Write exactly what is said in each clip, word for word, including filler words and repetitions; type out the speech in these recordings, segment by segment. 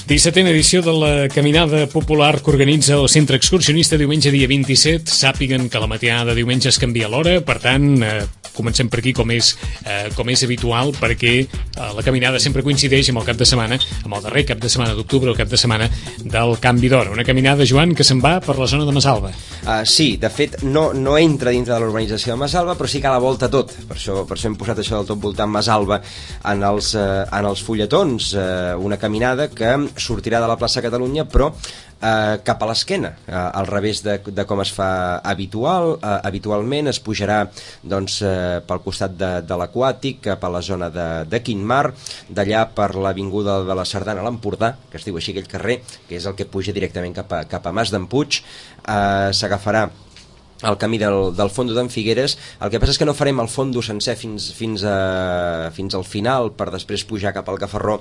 dissetena edició de la caminada popular que organitza el Centre Excursionista diumenge dia vint-i-set. Sàpiguen que la matinada de diumenge es canvia l'hora, per tant, eh, comencem per aquí com és, eh, com és habitual, perquè eh, la caminada sempre coincideix amb el cap de setmana, amb el darrer cap de setmana d'octubre, el cap de setmana del canvi d'hora. Una caminada, Joan, que se'n va per la zona de Masalva. Uh, sí, de fet, no, no entra dintre de l'urbanització de Masalva, però sí que a la volta tot. Per això, per això hem posat això del tot voltant Masalva en els, uh, en els fulletons. Uh, una caminada que sortirà de la plaça Catalunya, però eh, cap a l'esquena, eh, al revés de, de com es fa habitual. Eh, habitualment es pujarà doncs, eh, pel costat de, de l'Aquàtic, cap a la zona de, de Quintmar, d'allà per l'avinguda de la Sardana a l'Empordà, que es diu així aquell carrer, que és el que puja directament cap a, cap a Mas d'en Puig. Eh, s'agafarà el camí del, del Fondo d'en Figueres. El que passa és que no farem el fondo sencer fins, fins, a, fins al final per després pujar cap al Gafarró,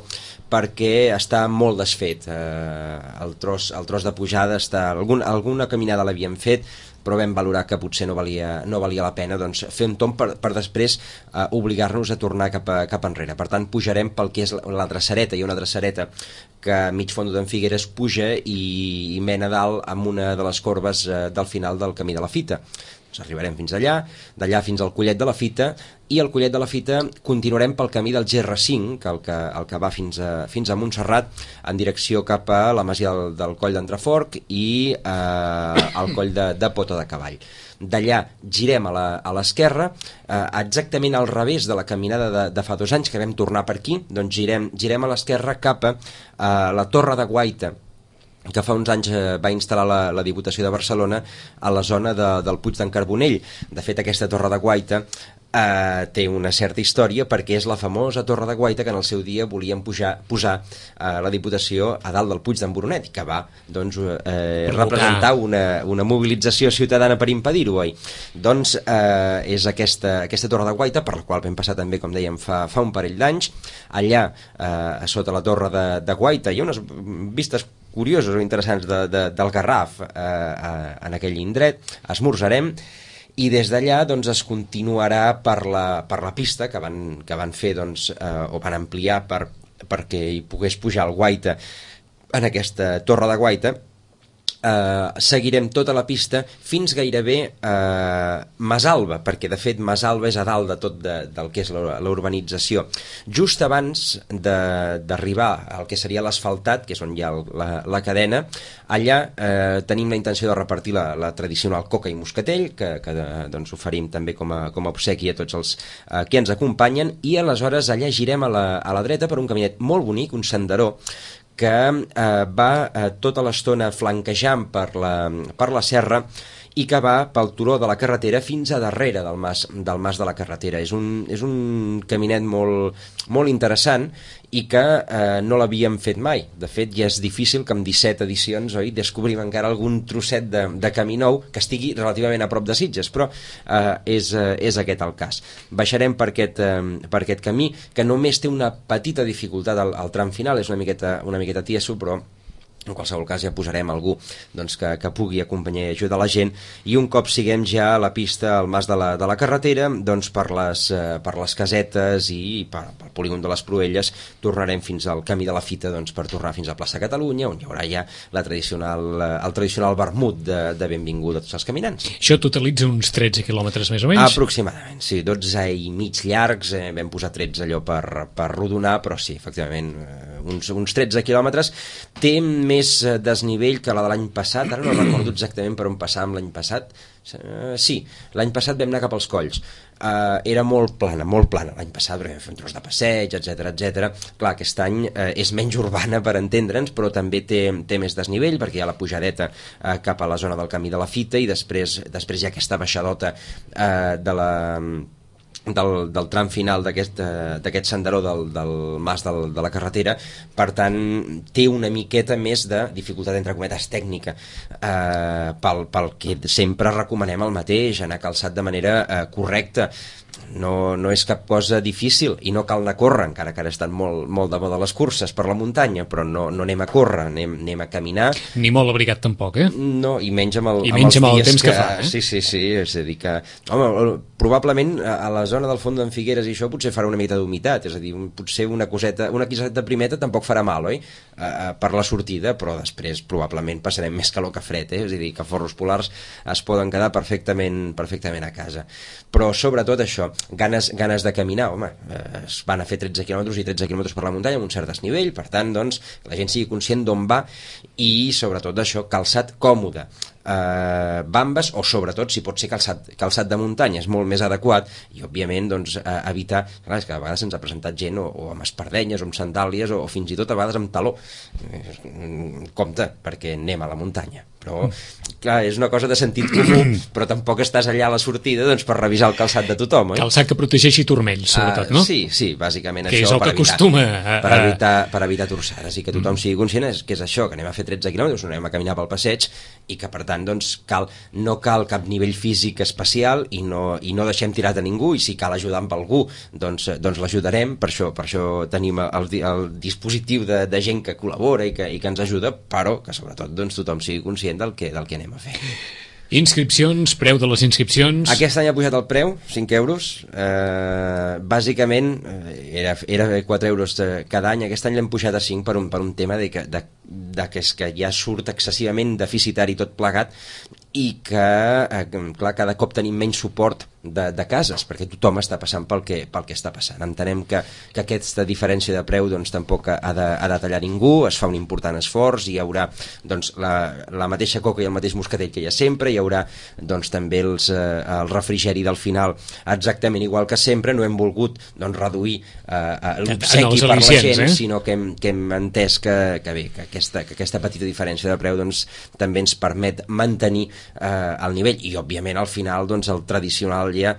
perquè està molt desfet. Eh, el, tros, el tros de pujada està... Algun, alguna caminada l'havíem fet, però vam valorar que potser no valia, no valia la pena doncs, fer un tomb per, per després eh, obligar-nos a tornar cap, a, cap enrere. Per tant, pujarem pel que és la, la dreçareta. Hi ha una dreçareta que a mig Fondo d'en Figueres puja i, i mena dalt amb una de les corbes eh, del final del camí de la Fita. Doncs arribarem fins allà, d'allà fins al Collet de la Fita, i al Collet de la Fita continuarem pel camí del G R cinc, que el que, el que va fins a, fins a Montserrat, en direcció cap a la masia del, del Coll d'Entreforc i eh, al Coll de, de Pota de Cavall. D'allà girem a l'esquerra, eh, exactament al revés de la caminada de, de fa dos anys que vam tornar per aquí. Doncs girem, girem a l'esquerra cap a eh, la Torre de Guaita, que fa uns anys eh, va instal·lar la, la Diputació de Barcelona a la zona de, del Puig d'en Carbonell. De fet, aquesta Torre de Guaita eh, té una certa història, perquè és la famosa Torre de Guaita que en el seu dia volien pujar, posar eh, la Diputació a dalt del Puig d'en Boronat, que va doncs, eh, representar una, una mobilització ciutadana per impedir-ho, oi? Doncs eh, és aquesta, aquesta Torre de Guaita, per la qual vam passar també, com dèiem, fa, fa un parell d'anys. Allà, eh, a sota la Torre de, de Guaita, hi ha unes vistes curiosos o interessants de, de, del Garraf eh, eh, en aquell indret. Esmorzarem i des d'allà doncs, es continuarà per la, per la pista que van, que van fer doncs, eh, o van ampliar per, perquè hi pogués pujar el Guaita en aquesta Torre de Guaita. Uh, seguirem tota la pista fins gairebé uh, Masalva, perquè de fet Masalva és a dalt de tot de, del que és la, la urbanització. Just abans d'arribar al que seria l'asfaltat, que és on hi ha el, la, la cadena, allà uh, tenim la intenció de repartir la, la tradicional coca i moscatell, que, que doncs, oferim també com a, com a obsequi a tots els uh, que ens acompanyen, i aleshores allà girem a la, a la dreta per un caminet molt bonic, un senderó, que eh, va eh, tota l'estona flanquejant per la, per la serra i que va pel turó de la carretera fins a darrere del mas, del mas de la carretera. És un, és un caminet molt, molt interessant i que eh, no l'havíem fet mai. De fet, ja és difícil que amb disset edicions, oi, descobrim encara algun trosset de, de camí nou que estigui relativament a prop de Sitges, però eh, és, eh, és aquest el cas. Baixarem per aquest, eh, per aquest camí, que només té una petita dificultat al, al tram final, és una miqueta, una miqueta tieso, però en qualsevol cas ja posarem algú doncs, que, que pugui acompanyar i ajudar la gent, i un cop siguem ja a la pista al mas de la, de la carretera, doncs per les, eh, per les casetes i per, pel polígon de les Proelles tornarem fins al camí de la Fita, doncs, per tornar fins a plaça Catalunya, on hi haurà ja la tradicional, el tradicional vermut de, de benvinguda a tots els caminants. Això totalitza uns tretze quilòmetres més o menys? Aproximadament, sí, dotze i mig llargs, eh, vam posar tretze allò per, per rodonar, però sí, efectivament, eh, uns, uns tretze quilòmetres. Té més desnivell que la de l'any passat, ara no recordo exactament per on passàvem l'any passat. Uh, sí, l'any passat vam anar cap als Colls. Uh, era molt plana, molt plana l'any passat, perquè vam fer un tros de passeig, etcètera, etcètera. Clar, aquest any uh, és menys urbana, per entendre'ns, però també té, té més desnivell, perquè hi ha la pujadeta uh, cap a la zona del camí de la Fita, i després, després hi ha aquesta baixadota uh, de la... Del, del tram final d'aquest d'aquest senderó del, del mas del, de la carretera. Per tant, té una miqueta més de dificultat, entre cometes, tècnica, eh, pel, pel que sempre recomanem el mateix, anar calçat de manera eh, correcta. no, no és cap cosa difícil i no cal anar a córrer, encara que ara estan molt, molt de moda les curses per la muntanya, però no, no anem a córrer, anem, anem a caminar. Ni molt abrigat tampoc, eh? No, i menys amb, el, I amb menys els amb el dies temps que, que fa, eh? Sí, sí, sí, és a dir que... Home, probablement a la zona del fons d'en Figueres i això potser farà una mica d'humitat, és a dir, potser una coseta, una quiseta de primeta tampoc farà mal, oi? Uh, uh, per la sortida, però després probablement passarem més calor que fred, eh? És a dir, que forros polars es poden quedar perfectament, perfectament a casa. Però sobretot això, ganes, ganes de caminar, home, eh, es van a fer tretze quilòmetres i tretze quilòmetres per la muntanya amb un cert desnivell, per tant, doncs, la gent sigui conscient d'on va i sobretot això, calçat còmode. Uh, bambes o sobretot si pot ser calçat, calçat de muntanya és molt més adequat i òbviament doncs, uh, evitar, clar, és que a vegades se'ns ha presentat gent o, o amb espardenyes o amb sandàlies o, o fins i tot a vegades amb taló, uh, compte perquè anem a la muntanya, però clar, és una cosa de sentit comú, però tampoc estàs allà a la sortida doncs, per revisar el calçat de tothom, oi? Calçat que protegeixi turmells, sobretot, uh, no? Sí, sí, bàsicament que això és el per que evitar, acostuma a... per evitar, per evitar torçades i que tothom sigui conscient és, que és això, que anem a fer tretze quilòmetres, anem a caminar pel passeig i que per tant doncs, cal, no cal cap nivell físic especial i no, i no deixem tirat a ningú i si cal ajudar amb algú doncs, doncs l'ajudarem, per això, per això tenim el, el dispositiu de, de gent que col·labora i que, i que ens ajuda, però que sobretot doncs, tothom sigui conscient del que, del que anem a fer. Inscripcions, preu de les inscripcions... Aquest any ha pujat el preu, cinc euros, eh, bàsicament era, era quatre euros cada any, aquest any l'hem pujat a cinc per un, per un tema de que, de, de que, és que ja surt excessivament deficitari tot plegat i que, eh, clar, cada cop tenim menys suport de, de cases, perquè tothom està passant pel que, pel que està passant. Entenem que, que aquesta diferència de preu doncs, tampoc ha de, ha de tallar ningú, es fa un important esforç, hi haurà doncs, la, la mateixa coca i el mateix moscatell que hi ha sempre, hi haurà doncs, també els, eh, el refrigeri del final exactament igual que sempre, no hem volgut doncs, reduir eh, l'obsequi per la gent, eh? sinó que hem, que hem entès que, que, bé, que, aquesta, que aquesta petita diferència de preu doncs, també ens permet mantenir eh, el nivell i òbviament al final doncs, el tradicional ja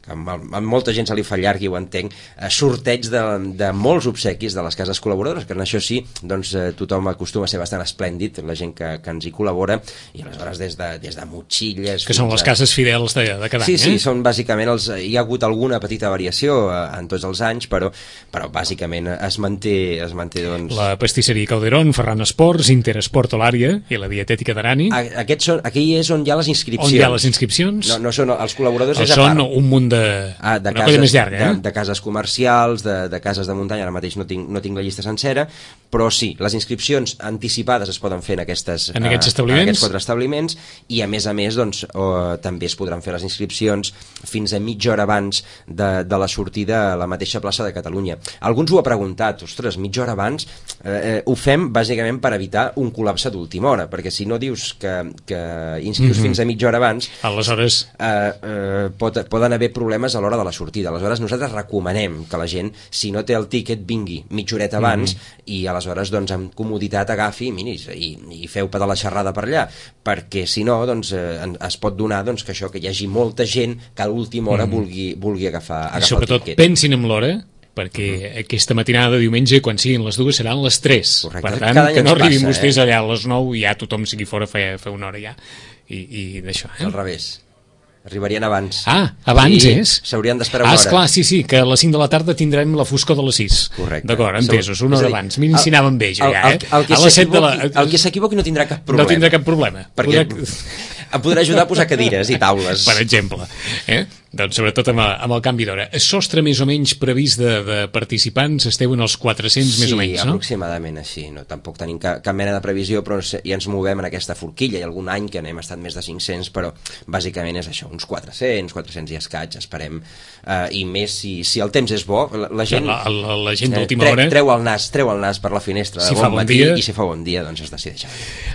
que amb, amb molta gent se li fa llarg i ho entenc, eh, sorteig de, de molts obsequis de les cases col·laboradores, que en això sí, doncs eh, tothom acostuma a ser bastant esplèndid, la gent que, que ens hi col·labora, i aleshores des de, des de motxilles... Que són les a... cases fidels de, de cada sí, any, sí, eh? Sí, són bàsicament els... Hi ha hagut alguna petita variació eh, en tots els anys, però, però bàsicament es manté, es manté doncs... La pastisseria Calderón, Ferran Esports, Interesport Olària i la dietètica d'Arani. Aquests són, aquí és on hi ha les inscripcions. On hi ha les inscripcions? No, no són els col·laboradors, o és a part. Són un munt de... Ah, de una cases, colla més llarga, eh? de, de cases comercials, de, de cases de muntanya, ara mateix no tinc, no tinc la llista sencera, però sí, les inscripcions anticipades es poden fer en, aquestes, en aquests uh, establiments, en aquests quatre establiments, i a més a més doncs, uh, també es podran fer les inscripcions fins a mitja hora abans de, de la sortida a la mateixa plaça de Catalunya. Alguns ho ha preguntat, ostres, mitja hora abans, eh, ho fem bàsicament per evitar un col·lapse d'última hora, perquè si no dius que, que inscrius mm-hmm. fins a mitja hora abans, aleshores eh, eh, pot, poden haver problemes a l'hora de la sortida. Aleshores nosaltres recomanem que la gent, si no té el tíquet, vingui mitja horeta abans mm-hmm. i aleshores doncs amb comoditat agafi mini, i, i feu de la xerrada per allà, perquè si no doncs, eh, es pot donar doncs, que això que hi hagi molta gent que a l'última hora mm-hmm. vulgui, vulgui agafar, agafar I sobretot el tíquet. Pensin en l'hora, perquè mm-hmm. aquesta matinada de diumenge, quan siguin les dues, seran les tres. Correcte. Per tant, que no arribin passa, vostès eh? allà a les nou i ja tothom sigui fora fa, fa una hora ja. I, i d'això, eh? Al revés. Arribarien abans. Ah, abans sí, és? S'haurien d'esperar una ah, hora. Ah, esclar, sí, sí, que a les cinc de la tarda tindrem la foscor de les sis. Correcte. D'acord, entesos, una hora abans. Mira si anàvem bé, jo, ja, eh? El, el, el a les set de la... El que s'equivoqui no tindrà cap problema. No tindrà cap problema. Perquè Podrà... em podrà ajudar a posar cadires i taules. Per exemple. Eh? Doncs sobretot amb, amb el canvi d'hora. Sostre més o menys previst de, de participants esteu en els quatre-cents sí, més o menys, no? Sí, aproximadament així. No, tampoc tenim cap, cap mena de previsió, però ja ens movem en aquesta forquilla. Hi ha algun any que n'hem estat més de cinc-cents, però bàsicament és això, uns quatre-cents, quatre-cents i escaig, esperem. Uh, I més si, si el temps és bo, la, la gent... La, la, la gent d'última tre, hora... Treu el nas, treu el nas per la finestra si de bon bon matí, dia, i si fa bon dia, doncs es decideix.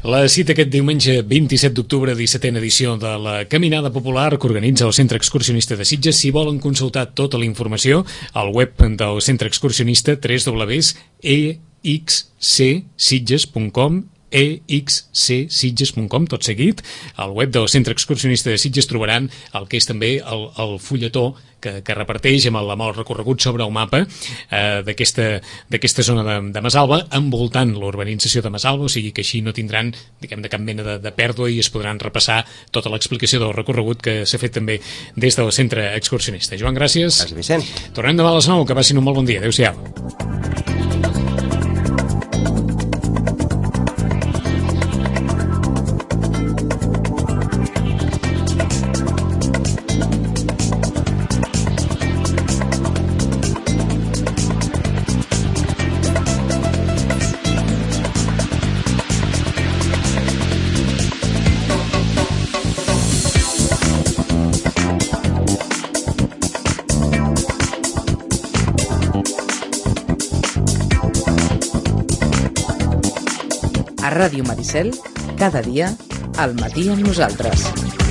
La cita aquest diumenge vint-i-set d'octubre, dissetena edició de la Caminada Popular que organitza el Centre Excursionista de Sitges. Si volen consultar tota la informació al web del Centre Excursionista, w w w punt e x c sitges punt com, e x c sitges punt com, tot seguit. Al web del Centre Excursionista de Sitges trobaran el que és també el, el fulletó que, que reparteix amb el, amb el recorregut sobre el mapa eh, d'aquesta zona de, de Masalba, envoltant l'urbanització de Masalba, o sigui que així no tindran, diguem, de cap mena de, de pèrdua i es podran repassar tota l'explicació del recorregut que s'ha fet també des del Centre Excursionista. Joan, gràcies. Gràcies, Vicent. Tornem demà a les nou, que passin un molt bon dia. Adéu-siau. A Ràdio Maricel, cada dia, al matí amb nosaltres.